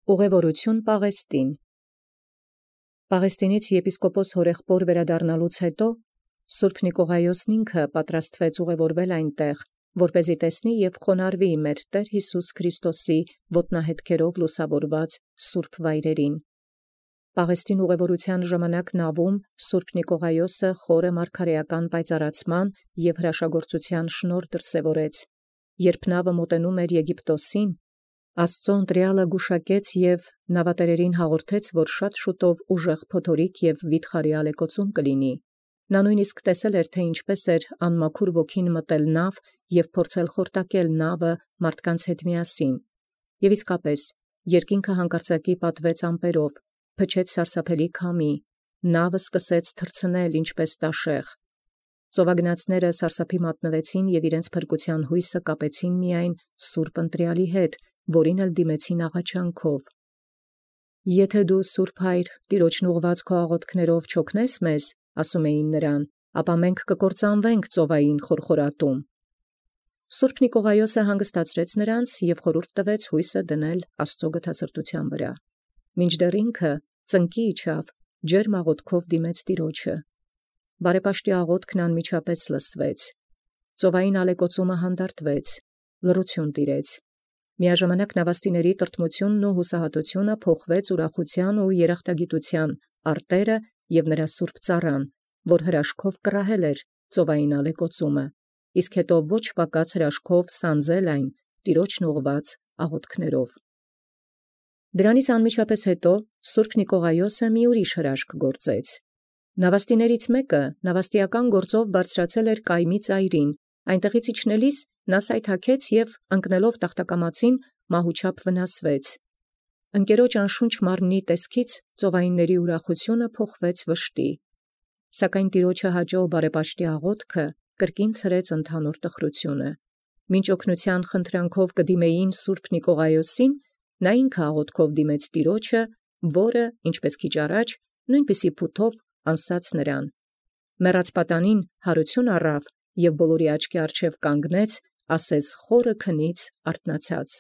Ուղևորություն Պաղեստին։ Պաղեստինից եպիսկոպոս հորեղբոր վերադառնալուց հետո Սուրբ Նիկողայոսն ինքը պատրաստվեց ուղևորվել այնտեղ, որպեսզի տեսնի և խոնարհվի մեր Տեր Յիսուս Քրիստոսի ոտնահետքերով լուսավորված սուրբ վայրերին։ Պաղեստին ուղևորության ժամանակ նավում Սուրբ Նիկողայոսը խորը մարգարեական պայծառացման և հրաշագործության շնորհ դրսևորեց, երբ նավը մոտենում էր Եգիպտոսին, Աստծո ընտրյալը գուշակեց և նավատերերին հաղորդեց, որ շատ շուտով ուժեղ փոթորիկ և վիթխարի ալեկոծում կլինի։ Նա նույնիսկ տեսել էր, թե ինչպես էր անմաքուր ոգին մտել նավ և փորձել խորտակել նավը մարդկանց հետ միասին։ Եվ իսկապես, երկինքը հանկարծակի պատվեց ամպերով, փչեց սարսափելի քամի, նավը սկսեց թռցնել ինչպես տաշեղ։ Ծովագնացները սարսափի մատնվեցին և իրենց փրկության հույսը կապեցին միայն Սուրբ ընտրյալի հետ, որին էլ դիմեցին աղաչանքով։ «Եթե դու Սուրբ Հայր, Տիրոջն ուղղված քո աղոթքներով չօգնես մեզ, ասում էին նրան, ապա մենք կկործանվենք ծովային խորխորատում»։ Սուրբ Նիկողայոսը հանգստացրեց նրանց և խորհուրդ տվեց հույսը դնել Աստծո գթասրտության վրա։ Մինչդեռ ինքը ծնկի իջավ, ջերմ աղոթքով դիմեց Տիրոջը։ Բարեպաշտի աղոթքն անմիջապես լսվեց։ Ծովային ալեկոծումը հանդարտվեց, լռություն տիրեց։ Միաժամանակ նավաստիների տրտմությունն ու հուսահատությունը փոխվեց ուրախության ու երախտագիտության արտերը և նրա սուրբ ծառան, որ հրաշքով կռահել էր ծովային ալեկոծումը, իսկ հետո ոչ պակաս հրաշքով սանձել այն Տիրոջն ուղղված աղոթքներով։ Դրանից անմիջապես հետո Սուրբ Նիկողայոսը մի ուրիշ հրաշք գործեց։ Նավաստիներից մեկը նավաստիական գործով բարձրացել էր կայմի ծայրին, այնտեղից իջնելիս նա սայթաքեց և ընկնելով տախտակամածին մահուչափ վնասվեց։ Ընկերոջ անշունչ մարմնի տեսքից ծովայինների ուրախությունը փոխվեց վշտի։ Սակայն Տիրոջը հաճո բարեպաշտի աղոթքը կրկին ցրեց ընդհանուր տխրությունը։ Մինչ օգնության խնդրանքով կդիմեին Սուրբ Նիկողայոսին, նա ինքը աղոթքով դիմեց Տիրոջը, որը, ինչպես քիչ առաջ, նույնպիսի փութով անսաց նրան։ Մեռած պատանին հարություն առավ և բոլորի աչքի առջև կանգնեց, ասես խորը քնից արթնացած։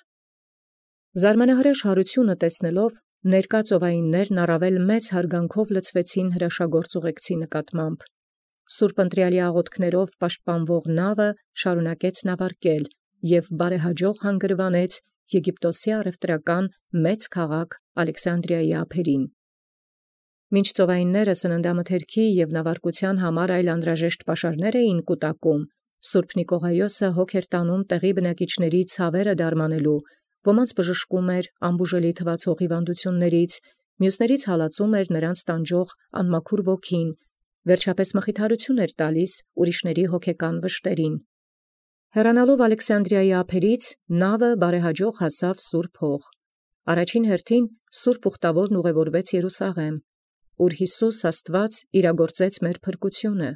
Զարմանահրաշ հարությունը տեսնելով, ներկա ծովայիններն առավել մեծ հարգանքով լցվեցին հրաշագործ ուղեկցի նկատմամբ։ Սուրբ ընտրյալի աղոթքներով պաշտպանվող նավը շարունակեց նավարկել և բարեհաջող հանգրվանեց Եգիպտոսի առևտրական մեծ քաղաք Ալեքսանդրիայի ափերին։ Մինչ ծովայինները սննդամթերքի և նավարկության համար այլ անհրաժեշտ պաշարներ էին կուտակում, Սուրբ Նիկողայոսը հոգ էր տանում տեղի բնակիչների ցավերը դարմանելու, ոմանց բժշկում էր անբուժելի թվացող հիվանդություններից, մյուսներից հալածում էր նրանց տանջող անմաքուր ոգին, վերջապես մխիթարություն էր տալիս ուրիշների հոգեկան վշտերին։ Հեռանալով Ալեքսանդրիայի ափերից, նավը բարեհաջող հասավ Սուրբ Հող։ Առաջին հերթին Սուրբ Ուխտավորն ուղևորվեց Երուսաղեմ, ուր Յիսուս Աստված իրագործեց մեր փրկությունը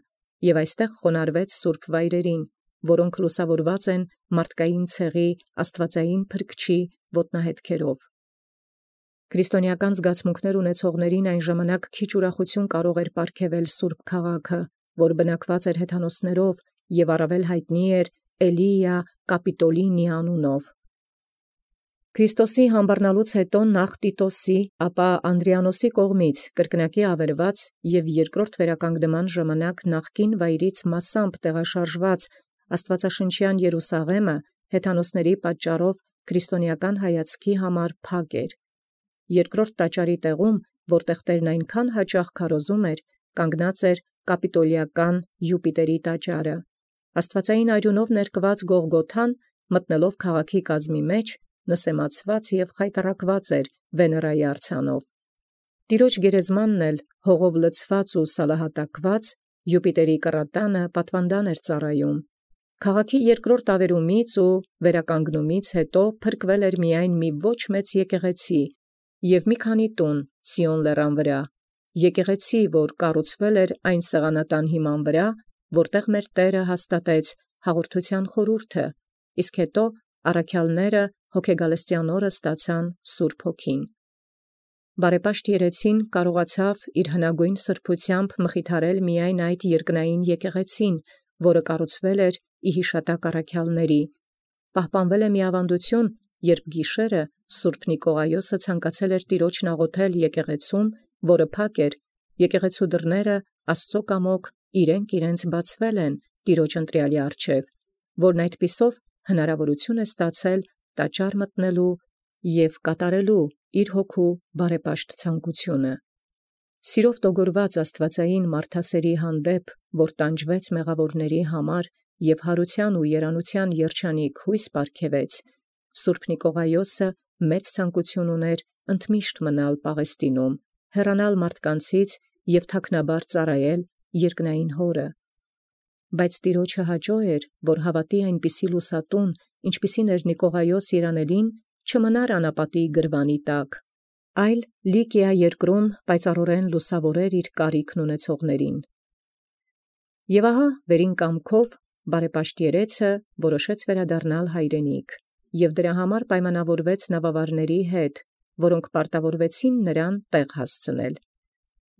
և այստեղ խոնարհվեց սուրբ վայրերին, որոնք լուսավորված են մարդկային ցեղի աստվածային փրկչի ոտնահետքերով։ Քրիստոնեական զգացմունքներ ունեցողներին այն ժամանակ քիչ ուրախություն կարող էր պարգևել սուրբ քաղաքը, որ բնակված էր հեթանոսներով և առավել հայտնի էր Էլիա Կապիտոլինի անունով։ Քրիստոսի համբարնալուց հետո նախ Տիտոսի, ապա Անդրիանոսի կողմից կրկնակի ավերված և երկրորդ վերականգնման ժամանակ նախկին վայրից մասամբ տեղաշարժված աստվածաշնչյան Երուսաղեմը հեթանոսների պատճառով քրիստոնեական հայացքի համար փակ էր։ Երկրորդ տաճարի տեղում, որտեղ Տերն այնքան հաճախ քարոզում էր, կանգնած էր կապիտոլիական Յուպիտերի տաճարը։ Աստվածային արյունով ներկված Գողգոթան, մտնելով քաղաքի կազմի մեջ, նսեմացված և խայտառակված էր Վեներայի արձանով։ Տիրոջ գերեզմանն էլ հողով լցված ու սալահատակված Յուպիտերի կռատանը պատվանդան էր ծառայում։ Քաղաքի երկրորդ ավերումից ու վերականգնումից հետո փրկվել էր միայն մի ոչ մեծ եկեղեցի և մի քանի տուն Սիոն լեռան վրա, եկեղեցի, որ կառուցվել էր այն սեղանատան հիման վրա, որտեղ մեր Տերը հաստատեց հաղորդության խորհուրդը, իսկ հետո առաքյալները հոգեգալստյան օրը ստացան Սուրբ Հոգին։ Բարեպաշտ երեցին կարողացավ իր հնագույն սրբությամբ մխիթարել միայն այդ երկնային եկեղեցին, որը կառուցվել էր ի հիշատակ առաքյալների, պահպանվել է մի ավանդություն երբ գիշերը Սուրբ Նիկողայոսը ցանկացել էր տիրոջն աղոթել եկեղեցում, որը փակ էր, եկեղեցու դռները Աստծո կամոք իրենք բացվել են տիրոջ ընտրյալի առջև, որն այդպիսով հնարավորություն է ստացել տաճար մտնելու և կատարելու իր հոգու բարեպաշտ ցանկությունը։ Սիրով տոգորված աստվածային մարդասերի հանդեպ, որ տանջվեց մեղավորների համար և հարության ու երանության երջանիկ հույս պարգևեց, Սուրբ Նիկողայոսը մեծ ցանկություն ուներ ընդմիշտ մնալ Պաղեստինում, հեռանալ մարդկանցից և թաքնաբար ծառայել երկնային Հորը։ Բայց Տիրոջը հաճո էր, որ հավատի այնպիսի լուսատուն, ինչպիսին էր Նիկողայոս երանելին, չմնար անապատի գրվանի տակ, այլ Լիկիա երկրում պայծառորեն լուսավորեր իր կարիքն ունեցողներին։ Եւ ահա վերին կամքով բարեպաշտ երեցը որոշեց վերադառնալ հայրենիք, և դրա համար պայմանավորվեց նավավարների հետ, որոնք պարտավորվեցին նրան տեղ հասցնել։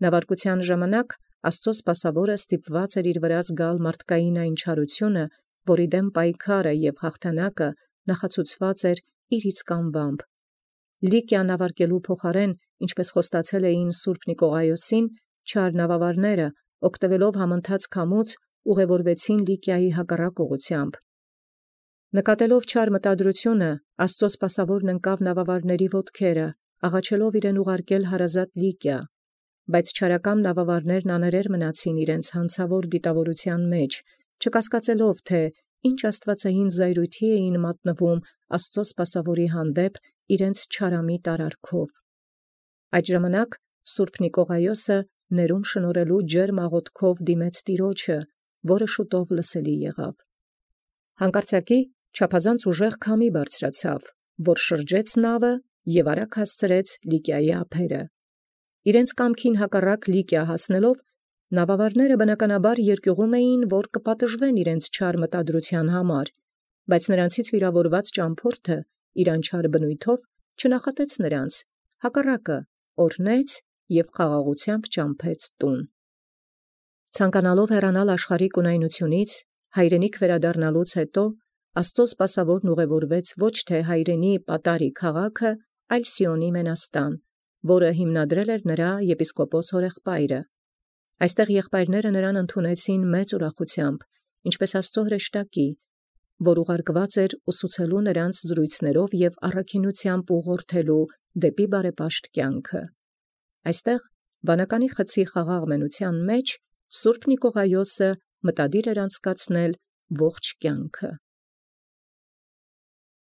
Նավարկության ժամանակ Աստծո սպասավորը ստիպված էր իր վրա զգալ մարդկային այն չարությունը, որի դեմ պայքարը և հաղթանակը նախացուցված էր իր իսկ անվամբ։ Լիկիա նավարկելու փոխարեն, ինչպես խոստացել էին Սուրբ Նիկողայոսին, չար նավավարները, օգտվելով համընթաց քամուց, ուղևորվեցին Լիկիայի հակառակ ուղղությամբ։ Նկատելով չար մտադրությունը, Աստծո սպասավորն ընկավ նավավարների ոտքերը, աղաչելով իրեն ուղարկել հարազատ Լիկիա, բայց չարակամ նավավարներն աներեր մնացին իրենց հանցավոր դիտավորության մեջ, չկասկածելով, թե ինչ աստվածային զայրույթի էին մատնվում Աստծո սպասավորի հանդեպ իրենց չարամիտ արարքով։ Այդ ժամանակ Սուրբ Նիկողայոսը ներում շնորհելու ջերմ աղոթքով դիմեց Տիրոջը, որը շուտով լսելի եղավ։ Հանկարծակի չափազանց ուժեղ քամի բարձրացավ, որ շրջեց նավը և արագ հասցրեց Լիկիայի ափերը։ Իրենց կամքին հակառակ Լիկիա հասնելով, նավավարները բնականաբար երկյուղում էին, որ կպատժվեն իրենց չար մտադրության համար, բայց նրանցից վիրավորված ճամփորդը իր անչար բնույթով չնախատեց նրանց, հակառակը օրհնեց և խաղաղությամբ ճամփեց տուն։ Ցանկանալով հեռանալ աշխարհիկ ունայնությունից, հայրենիք վերադառնալուց հետո Աստծո սպասավորն ուղևորվեց ոչ թե հայրենի պատարի քաղաքը, այլ Սիոնի մենաստան, որը հիմնադրել էր նրա եպիսկոպոս հորեղբայրը։ Այստեղ եղբայրները նրան ընդունեցին մեծ ուրախությամբ, ինչպես Աստծո հրեշտակի, որ ուղարկված էր ուսուցելու նրանց զրույցներով և առաքինությամբ ուղղորդելու դեպի բարեպաշտ կյանքը։ Այստեղ վանականի խցի խաղաղ մենության մեջ Սուրբ Նիկողայոսը մտադիր էր անցկացնել ողջ կյանքը։